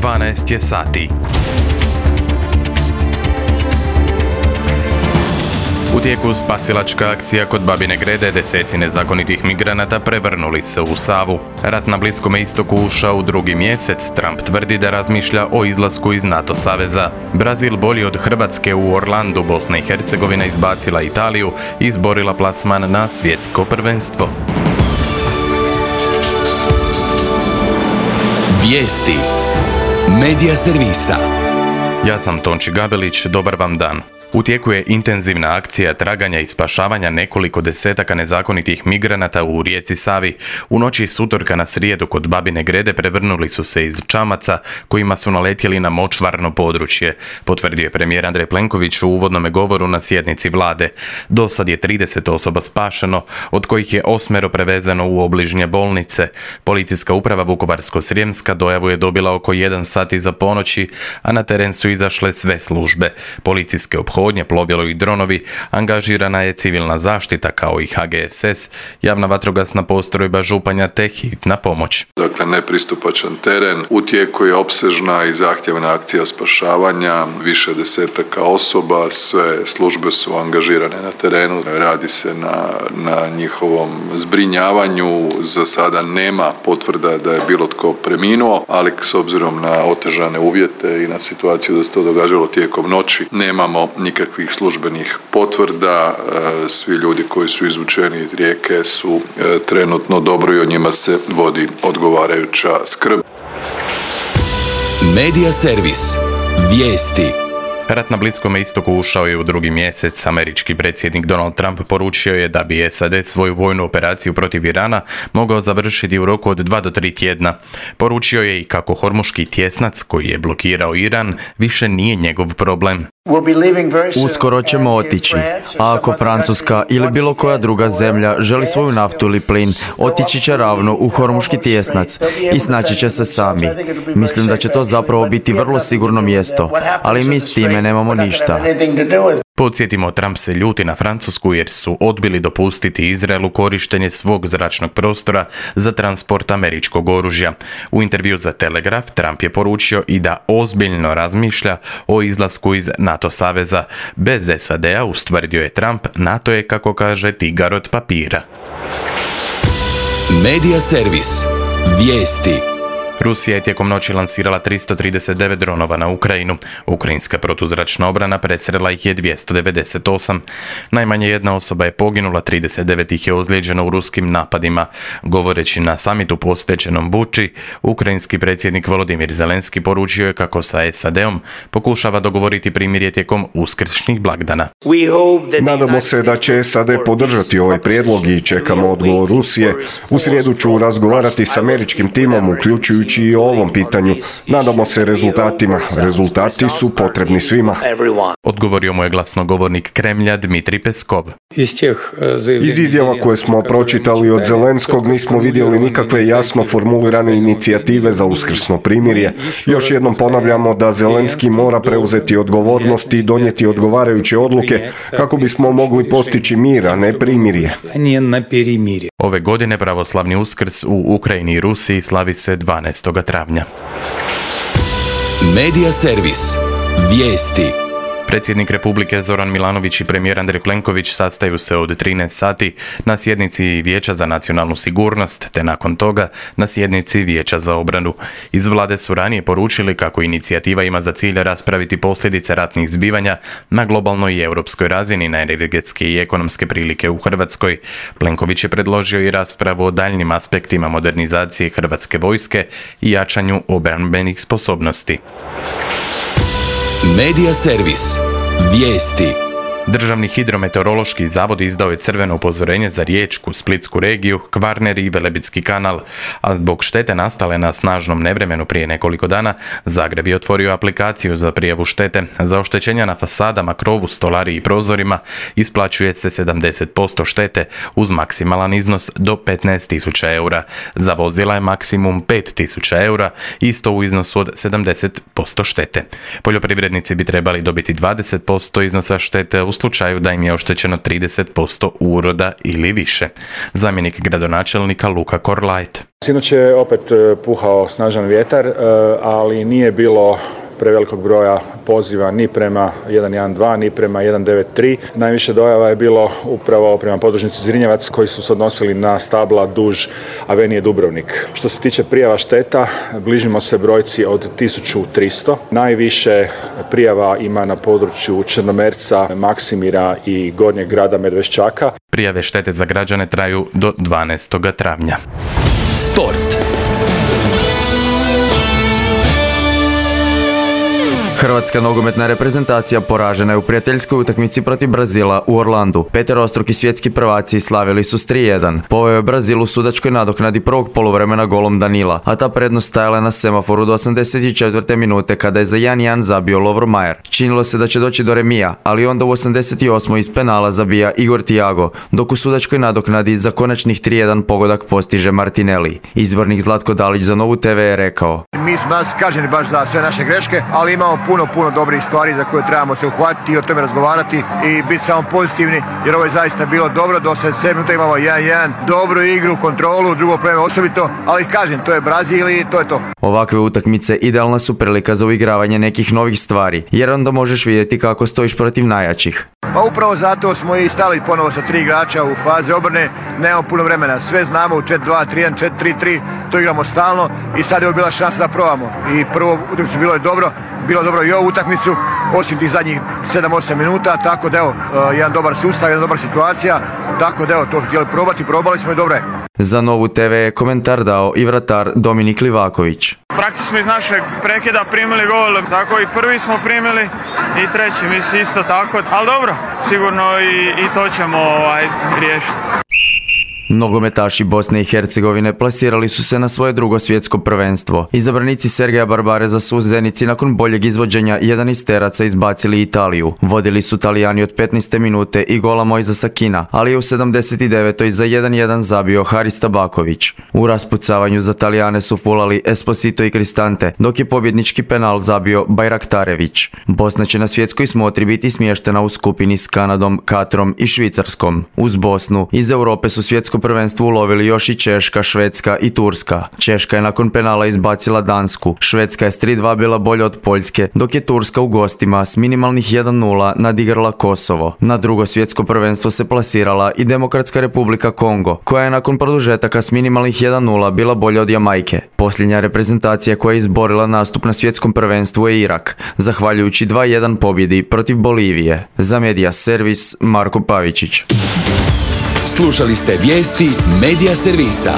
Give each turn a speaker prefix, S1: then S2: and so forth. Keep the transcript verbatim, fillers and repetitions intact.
S1: dvanaest je sati. U tijeku spasilačka akcija kod Babine Grede, deseci nezakonitih migranata prevrnuli se u Savu. Rat na Bliskome istoku ušao u drugi mjesec, Trump tvrdi da razmišlja o izlasku iz NATO saveza. Brazil bolji od Hrvatske u Orlandu, Bosna i Hercegovina izbacila Italiju i izborila plasman na svjetsko prvenstvo.
S2: Vijesti Medija servisa.
S1: Ja sam Tonči Gabelić, dobar vam dan. U tijeku je intenzivna akcija traganja i spašavanja nekoliko desetaka nezakonitih migranata u rijeci Savi. U noći s utorka na srijedu kod Babine Grede prevrnuli su se iz čamaca kojima su naletjeli na močvarno područje, potvrdio je premijer Andrej Plenković u uvodnome govoru na sjednici vlade. Do sad je trideset osoba spašeno, od kojih je osmero prevezeno u obližnje bolnice. Policijska uprava Vukovarsko-srijemska dojavu je dobila oko jedan sat iza ponoći, a na teren su izašle sve službe. Policijske ophodnje, plovilo i dronovi, angažirana je civilna zaštita kao i H G S S, javna vatrogasna postrojba Županja te hitna pomoć.
S3: Dakle, nepristupačan teren, u tijeku je opsežna i zahtjevna akcija spašavanja, više desetaka osoba, sve službe su angažirane na terenu, radi se na, na njihovom zbrinjavanju, za sada nema potvrda da je bilo tko preminuo, ali s obzirom na otežane uvjete i na situaciju da se to događalo tijekom noći, nemamo nikakvih službenih potvrda. Svi ljudi koji su izvučeni iz rijeke su trenutno dobro i o njima se vodi odgovarajuća skrb.
S2: Medija servis. Vijesti.
S1: Rat na Bliskome istoku ušao je u drugi mjesec. Američki predsjednik Donald Trump poručio je da bi S A D svoju vojnu operaciju protiv Irana mogao završiti u roku od dva do tri tjedna. Poručio je i kako hormuški tjesnac koji je blokirao Iran više nije njegov problem.
S4: Uskoro ćemo otići, a ako Francuska ili bilo koja druga zemlja želi svoju naftu ili plin, otići će ravno u hormuški tjesnac i snaći će se sami. Mislim da će to zapravo biti vrlo sigurno mjesto, ali mi s time nemamo ništa.
S1: Podsjetimo, Trump se ljuti na Francusku jer su odbili dopustiti Izraelu korištenje svog zračnog prostora za transport američkog oružja. U intervju za Telegraf Trump je poručio i da ozbiljno razmišlja o izlasku iz NATO saveza. Bez S A D-a, ustvrdio je Trump, NATO je, kako kaže, tigar od papira.
S2: Medija servis. Vijesti.
S1: Rusija je tijekom noći lansirala tristo trideset devet dronova na Ukrajinu. Ukrajinska protuzračna obrana presrela ih je dvjesto devedeset osam. Najmanje jedna osoba je poginula, trideset devet ih je ozlijeđeno u ruskim napadima. Govoreći na samitu posvećenom Buči, ukrajinski predsjednik Volodimir Zelenski poručio je kako sa S A D-om pokušava dogovoriti primirje tijekom uskršnjih blagdana.
S5: Nadamo se da će S A D podržati ovaj prijedlog i čekamo odgovor Rusije. U srijedu ću razgovarati s američkim timom, uključujući i o ovom pitanju. Nadamo se rezultatima. Rezultati su potrebni svima.
S1: Odgovorio mu je glasnogovornik Kremlja Dmitrij Peskov.
S5: Iz izjava koje smo pročitali od Zelenskog nismo vidjeli nikakve jasno formulirane inicijative za uskrsno primirje. Još jednom ponavljamo da Zelenski mora preuzeti odgovornost i donijeti odgovarajuće odluke kako bismo mogli postići mir, a ne primirje.
S1: Ove godine pravoslavni Uskrs u Ukrajini i Rusiji slavi se dvanaestog travnja.
S2: Medija servis. Vijesti.
S1: Predsjednik Republike Zoran Milanović i premijer Andrej Plenković sastaju se od trinaest sati na sjednici Vijeća za nacionalnu sigurnost, te nakon toga na sjednici Vijeća za obranu. Iz vlade su ranije poručili kako inicijativa ima za cilj raspraviti posljedice ratnih zbivanja na globalnoj i europskoj razini na energetske i ekonomske prilike u Hrvatskoj. Plenković je predložio i raspravu o daljnjim aspektima modernizacije hrvatske vojske i jačanju obrambenih sposobnosti.
S2: Medija servis. Vijesti.
S1: Državni hidrometeorološki zavod izdao je crveno upozorenje za Riječku, Splitsku regiju, Kvarner i Velebitski kanal, a zbog štete nastale na snažnom nevremenu prije nekoliko dana, Zagreb je otvorio aplikaciju za prijavu štete. Za oštećenja na fasadama, krovu, stolariji i prozorima isplaćuje se sedamdeset posto štete uz maksimalan iznos do petnaest tisuća eura. Za vozila je maksimum pet tisuća eura, isto u iznosu od sedamdeset posto štete. Poljoprivrednici bi trebali dobiti dvadeset posto iznosa štete u u slučaju da im je oštećeno trideset posto uroda ili više. Zamjenik gradonačelnika Luka Korlajt.
S6: Sinoć je opet puhao snažan vjetar, ali nije bilo prevelikog broja poziva ni prema jedan jedan dva, ni prema jedan devet tri. Najviše dojava je bilo upravo prema podružnici Zrinjevac koji su se odnosili na stabla duž Avenije Dubrovnik. Što se tiče prijava šteta, bližimo se brojci od tisuću tristo. Najviše prijava ima na području Črnomerca, Maksimira i Gornjeg grada Medveščaka.
S1: Prijave štete za građane traju do dvanaestog travnja.
S2: Sport.
S4: Hrvatska nogometna reprezentacija poražena je u prijateljskoj utakmici protiv Brazila u Orlandu. Peterostruki svjetski prvaci slavili su s tri jedan. Poveo je Brazil u sudačkoj nadoknadi prvog poluvremena golom Danila, a ta prednost stajala na semaforu do osamdeset četvrte minute kada je za jedan jedan zabio Lovro Majer. Činilo se da će doći do remija, ali onda u osamdeset osmoj iz penala zabija Igor Thiago, dok u sudačkoj nadoknadi za konačnih tri jedan pogodak postiže Martinelli. Izbornik Zlatko Dalić za Novu te ve je rekao:
S7: Mi smo nas kažnjeni baš za sve naše greške, ali imamo puno, puno dobrih stvari za koje trebamo se uhvatiti i o tome razgovarati i biti samo pozitivni, jer ovo je zaista bilo dobro. Do osamdeset sedme minuta imamo jedan jedan, dobru igru, kontrolu, drugo vreme osobito, ali kažem, to je Brazil i to je to.
S4: Ovakve utakmice idealna su prilika za uigravanje nekih novih stvari, jer onda možeš vidjeti kako stojiš protiv najjačih.
S7: Pa upravo zato smo i stali ponovo sa tri igrača u fazi obrane, nemamo puno vremena, sve znamo u četiri dva tri jedan, četiri tri tri, to igramo stalno i sad je ovo bila šansa da probamo. I prvo utakmicu bilo je dobro, bilo dobro i ovu utakmicu, osim tih zadnjih sedam osam minuta, tako da evo, jedan dobar sustav, jedna dobra situacija, tako da evo, to htjeli probati, probali smo i dobro je.
S4: Za Novu te ve je komentar dao i vratar Dominik Livaković.
S8: Praktično smo iz našeg prekida primili gol, tako i prvi smo primili i treći mislim isto tako, ali dobro, sigurno i, i to ćemo ovaj, riješiti.
S4: Nogometaši Bosne i Hercegovine plasirali su se na svoje drugo svjetsko prvenstvo. Izabranici Sergeja Barbareza su u Zenici nakon boljeg izvođenja jedanesteraca izbacili Italiju. Vodili su Talijani od petnaeste minute i gola Mojzesa Kina, ali je u sedamdeset devetoj za jedan jedan zabio Haris Tabaković. U raspucavanju za Talijane su fulali Esposito i Cristante, dok je pobjednički penal zabio Bajraktarević. Bosna će na svjetskoj smotri biti smještena u skupini s Kanadom, Katrom i Švicarskom. Uz Bosnu iz Europe su svjetsko prvenstvo ulovili još i Češka, Švedska i Turska. Češka je nakon penala izbacila Dansku. Švedska je s tri dva bila bolja od Poljske, dok je Turska u gostima s minimalnih jedan nula nadigrala Kosovo. Na drugo svjetsko prvenstvo se plasirala i Demokratska republika Kongo, koja je nakon produžetaka s minimalnih jedan nula bila bolja od Jamajke. Posljednja reprezentacija koja je izborila nastup na svjetskom prvenstvu je Irak, zahvaljujući dva jedan pobjedi protiv Bolivije. Za Media Servis Marko Pavičić.
S2: Slušali ste vijesti Media Servisa.